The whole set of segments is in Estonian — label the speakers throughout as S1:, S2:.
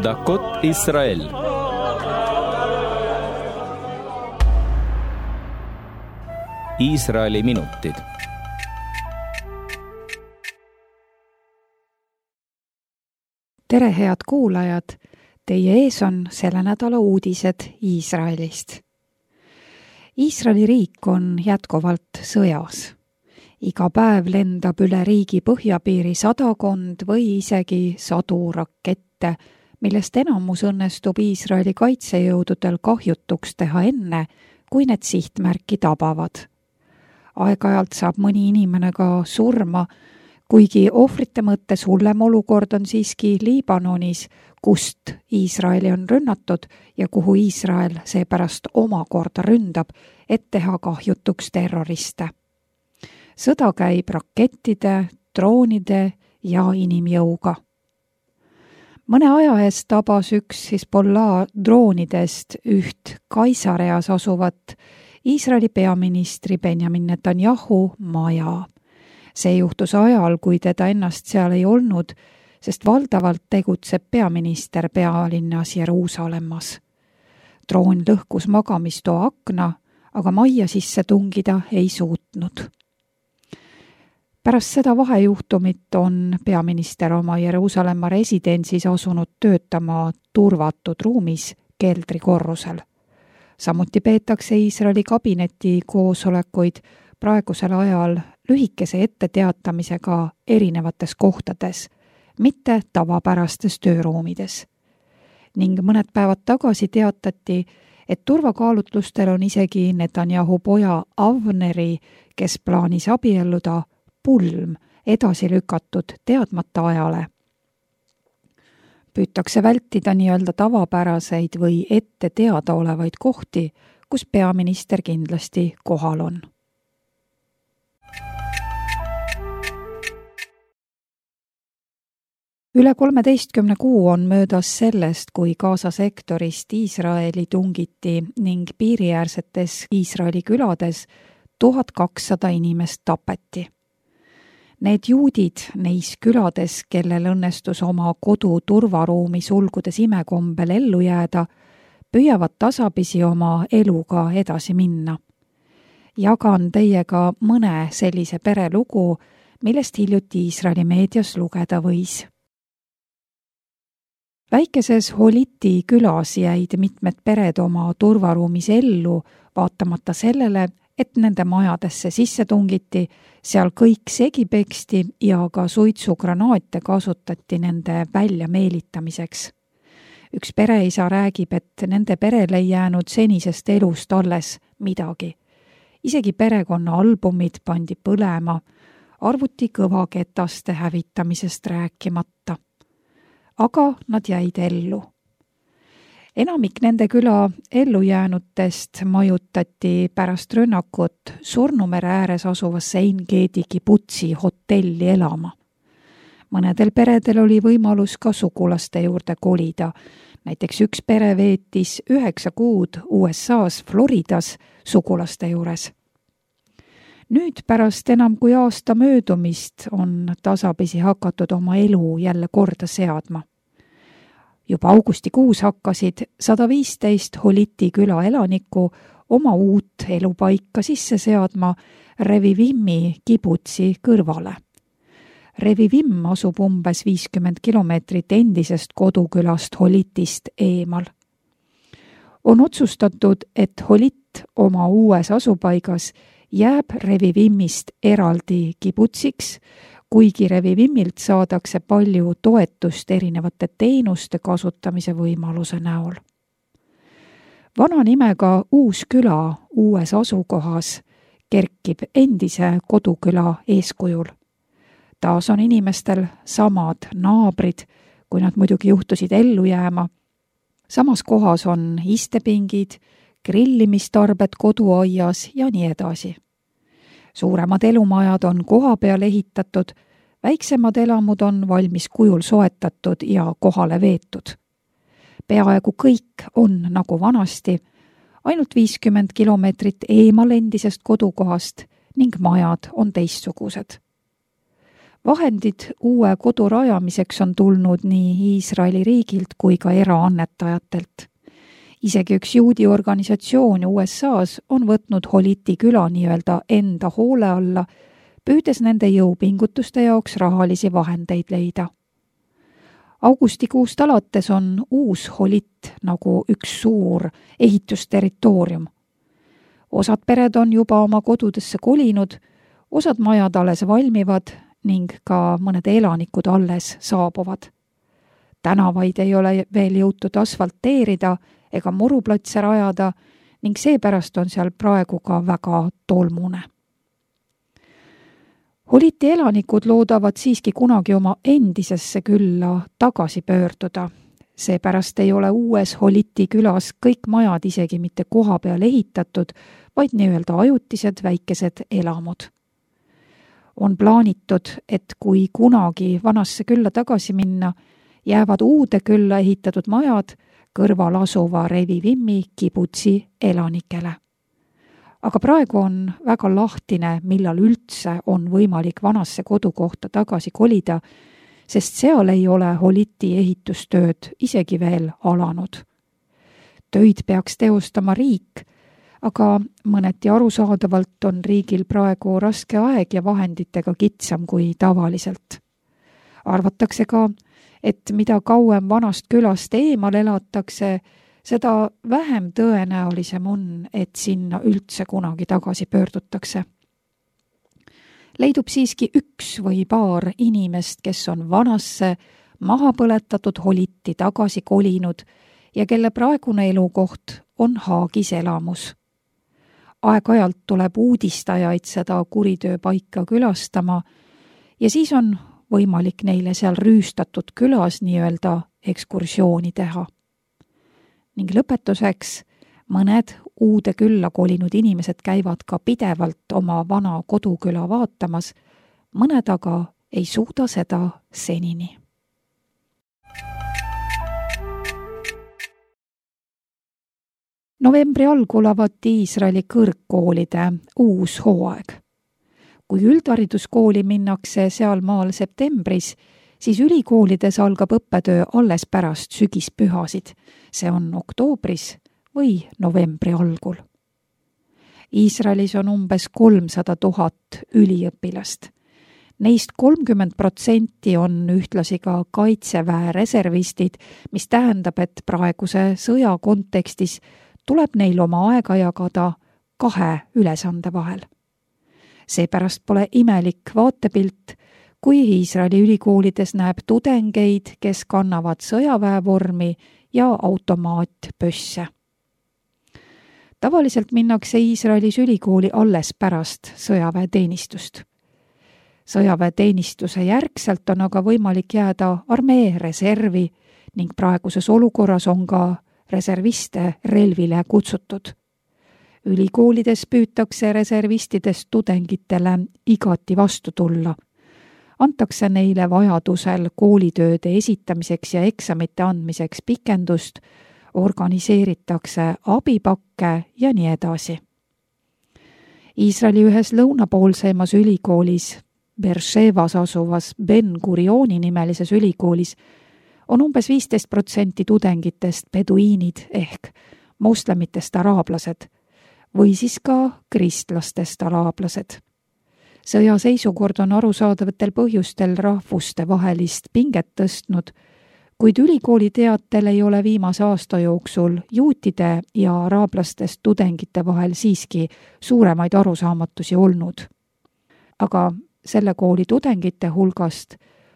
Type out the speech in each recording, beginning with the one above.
S1: דקות ישראל. Iisraeli minutid.
S2: Tere, head kuulajad! Teie ees on selle nädala uudised Iisraelist. Iisraeli riik on jätkuvalt sõjas. Iga päev lendab üle riigi põhjapiiri sadakond või isegi 100 rakette, millest enamus õnnestub Iisraeli kaitsejõududel kahjutuks teha enne, kui need sihtmärki tabavad. Aeg-ajalt saab mõni inimene ka surma, kuigi ohvrite mõttes hullem olukord on siiski Liibanonis, kust Iisraeli on rünnatud ja kuhu Iisrael seepärast omakorda ründab, et teha kahjutuks terroriste. Sõda käib rakettide, droonide ja inimjõuga. Mõne aja eest tabas üks Hezbollah droonidest üht Kaisareas asuvat Iisraeli peaministri Benjamin Netanyahu maja. See juhtus ajal, kui teda ennast seal ei olnud, sest valdavalt tegutseb peaminister pealinnas Jeruusalemmas. Droon lõhkus magamistoa akna, aga majja sisse tungida ei suutnud. Pärast seda vahejuhtumit on peaminister oma Jeruusalemma residentsis asunud töötama turvatud ruumis keldrikorrusel. Samuti peetakse Iisraeli kabineti koosolekuid praegusel ajal lühikese etteteatamisega erinevates kohtades, mitte tavapärastes tööruumides. Ning mõned päevad tagasi teatati, et turvakaalutlustel on isegi Netanyahu poja Avneri, kes plaanis abielluda, pulm edasi lükatud teadmata ajale. Püütakse vältida nii-öelda tavapäraseid või ette teada olevaid kohti, kus peaminister kindlasti kohal on. Üle 13 kuu on möödas sellest, kui Gaza sektorist Iisraeli tungiti ning piiriäärsetes Iisraeli külades 1200 inimest tapeti. Need juudid neis külades, kellel õnnestus oma kodu turvaruumi sulgudes imekombel ellu jääda, püüavad tasapisi oma eluga edasi minna. Jagan teiega mõne sellise pere lugu, millest hiljuti Iisraeli meedias lugeda võis. Väikeses Holiti külas jäid mitmed pered oma turvaruumis ellu, vaatamata sellele, et nende majadesse sisse tungiti, seal kõik segi peksti ja ka suitsugranaate kasutati nende välja meelitamiseks. Üks pereisa räägib, et nende perel ei jäänud senisest elust alles midagi. Isegi perekonna albumid pandi põlema, arvuti kõvaketaste hävitamisest rääkimata. Aga nad jäid ellu. Enamik nende küla ellujäänutest majutati pärast rünnakut Surnumere ääres asuvasse Ein-Gedi kibutsi hotelli elama. Mõnedel peredel oli võimalus ka sugulaste juurde kolida. Näiteks üks pere veetis 9 kuud USA's Floridas sugulaste juures. Nüüd pärast enam kui aasta möödumist on tasapisi hakatud oma elu jälle korda seadma. Juba augustikuus hakkasid 115 Holiti küla elanikku oma uut elupaika sisse seadma Revivimi kibutsi kõrvale. Revivim asub umbes 50 kilomeetrit endisest kodukülast Holitist eemal. On otsustatud, et Holit oma uues asupaigas jääb Revivimist eraldi kibutsiks, kuigi Revivimilt saadakse palju toetust erinevate teenuste kasutamise võimaluse näol. Vana nimega uus küla uues asukohas kerkib endise koduküla eeskujul. Taas on inimestel samad naabrid, kui nad muidugi juhtusid ellu jääma. Samas kohas on istepingid, grillimistarbed koduaias ja nii edasi. Suuremad elumajad on koha peal ehitatud, väiksemad elamud on valmis kujul soetatud ja kohale veetud. Peaaegu kõik on nagu vanasti, ainult 50 kilomeetrit eemal endisest kodukohast ning majad on teistsugused. Vahendid uue kodu rajamiseks on tulnud nii Iisraeli riigilt kui ka eraannetajatelt. Isegi üks juudi organisatsioon USA-s on võtnud Holiti küla nii-öelda enda hoole alla, püüdes nende jõupingutuste jaoks rahalisi vahendeid leida. Augustikuust alates on uus Holit nagu üks suur ehitusterritoorium. Osad pered on juba oma kodudesse kolinud, osad majad alles valmivad ning ka mõned elanikud alles saabuvad. Tänavaid ei ole veel jõutud asfalteerida ega muruplatse rajada ning seepärast on seal praegu ka väga tolmune. Holiti elanikud loodavad siiski kunagi oma endisesse külla tagasi pöörduda. Seepärast ei ole uues Holiti külas kõik majad isegi mitte koha peal ehitatud, vaid nii-öelda ajutised väikesed elamud. On plaanitud, et kui kunagi vanasse külla tagasi minna, jäävad uude külla ehitatud majad kõrval asuva Revivimi kibutsi elanikele. Aga praegu on väga lahtine, millal üldse on võimalik vanasse kodukohta tagasi kolida, sest seal ei ole Holiti ehitustööd isegi veel alanud. Töid peaks teostama riik, aga mõneti arusaadavalt on riigil praegu raske aeg ja vahenditega kitsam kui tavaliselt. Arvatakse ka, et mida kauem vanast külast eemal elatakse, seda vähem tõenäolisem on, et sinna üldse kunagi tagasi pöördutakse. Leidub siiski üks või paar inimest, kes on vanasse, maha põletatud Holiti tagasi kolinud ja kelle praegune elukoht on Haagis elamus. Aeg-ajalt tuleb uudistajaid seda kuritööpaika külastama ja siis on võimalik neile seal rüüstatud külas nii-öelda ekskursiooni teha. Ning lõpetuseks mõned uude külla kolinud inimesed käivad ka pidevalt oma vana koduküla vaatamas, mõned aga ei suuda seda senini. Novembri algul avati Iisraeli kõrgkoolide uus hooaeg. Kui üldhariduskooli minnakse seal maal septembris, siis ülikoolides algab õppetöö alles pärast sügispühasid. See on oktoobris või novembri algul. Iisraelis on umbes 300 000 üliõpilast. Neist 30% on ühtlasi ka kaitseväe reservistid, mis tähendab, et praeguse sõja kontekstis tuleb neil oma aega jagada 2 ülesande vahel. Seepärast pole imelik vaatepilt, kui Iisraeli ülikoolides näeb tudengeid, kes kannavad sõjaväevormi ja automaatpösse. Tavaliselt minnakse Iisraelis ülikooli alles pärast sõjaväeteenistust. Sõjaväeteenistuse järgselt on aga võimalik jääda armee reservi ning praeguses olukorras on ka reserviste relvile kutsutud. Ülikoolides püütakse reservistidest tudengitele igati vastu tulla. Antakse neile vajadusel koolitööde esitamiseks ja eksamite andmiseks pikendust, organiseeritakse abipakke ja nii edasi. Iisraeli ühes lõunapoolseimas ülikoolis, Beershevas asuvas Ben Gurioni nimelises ülikoolis, on umbes 15% tudengitest peduiinid ehk moslemitest araablased või siis ka kristlastest araablased. Sõjaseisukord on arusaadavatel põhjustel rahvuste vahelist pinget tõstnud, kuid ülikooli teatel ei ole viimase aasta jooksul juutide ja araablastest tudengite vahel siiski suuremaid arusaamatusi olnud. Aga selle kooli tudengite hulgast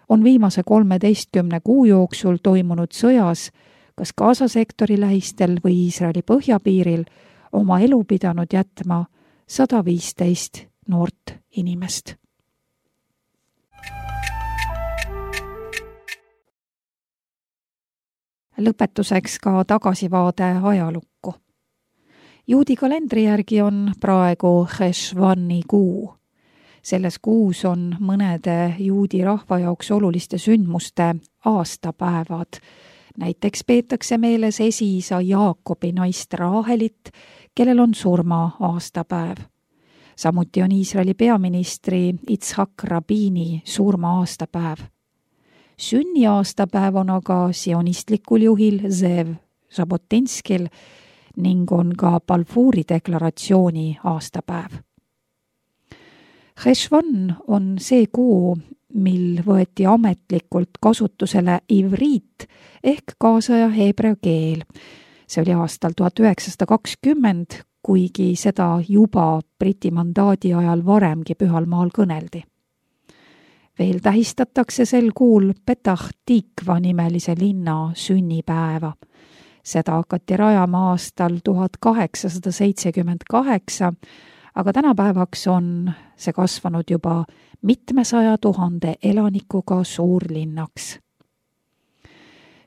S2: on viimase 13 kuu jooksul toimunud sõjas, kas Gaza sektori lähistel või Iisraeli põhjapiiril, oma elu pidanud jätma 115 noort inimest. Lõpetuseks ka tagasivaade ajalukku. Juudi kalendri järgi on praegu Cheshvani kuu. Selles kuus on mõnede juudi rahva jaoks oluliste sündmuste aastapäevad. Näiteks peetakse meeles esiisa Jaakobi naist Raahelit, kellel on surma aastapäev. Samuti on Iisraeli peaministri Yitzhak Rabini surma aastapäev. Sünniaastapäev on aga sionistlikul juhil Zev Žabotinskil ning on ka Balfouri deklaratsiooni aastapäev. Cheshvan on see kuu, mil võeti ametlikult kasutusele ivriit ehk kaasaja heebrea keel. See oli aastal 1920, kuigi seda juba Briti mandaadi ajal varemgi Pühal maal kõneldi. Veel tähistatakse sel kuul Petah Tikva nimelise linna sünnipäeva. Seda hakati rajama aastal 1878, aga tänapäevaks on see kasvanud juba mitmesaja 000 elanikuga suurlinnaks.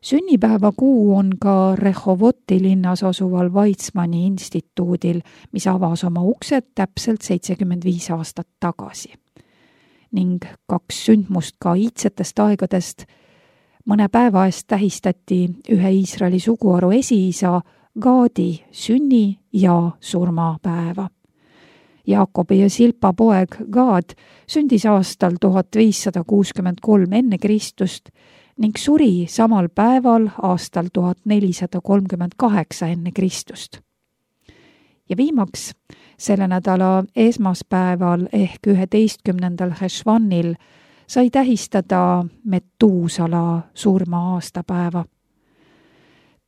S2: Sünnipäeva kuu on ka Rehovoti linnas asuval Weizmanni instituudil, mis avas oma uksed täpselt 75 aastat tagasi. Ning 2 sündmust ka iidsetest aegadest. Mõne päeva eest tähistati ühe Iisraeli suguharu esiisa Gaadi sünni- ja surmapäeva. Jaakobi ja Silpa poeg Gaad sündis aastal 1563 enne Kristust ning suri samal päeval aastal 1438 enne Kristust. Ja viimaks selle nädala esmaspäeval ehk 11. Cheshvanil sai tähistada Metuusala surma aastapäeva.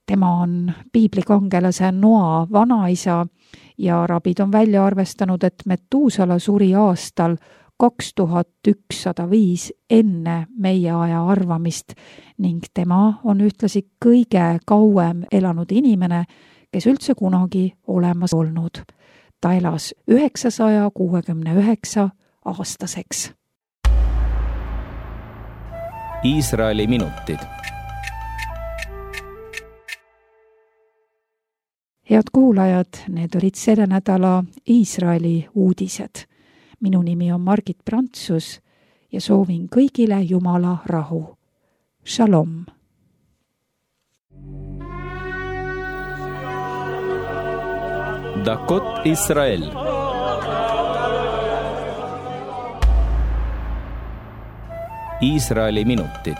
S2: Tema on piiblikangelase Noa vanaisa ja rabid on välja arvestanud, et Metuusala suri aastal 2105 enne meie aja arvamist ning tema on ühtlasi kõige kauem elanud inimene, kes üldse kunagi olemas olnud. Ta elas 969 aastaseks.
S1: Iisraeli minutid.
S2: Head kuulajad, need olid selle nädala Iisraeli uudised. Minu nimi on Margit Prantsus ja soovin kõigile Jumala rahu. Shalom!
S1: Dakot Israel. Iisraeli minutid.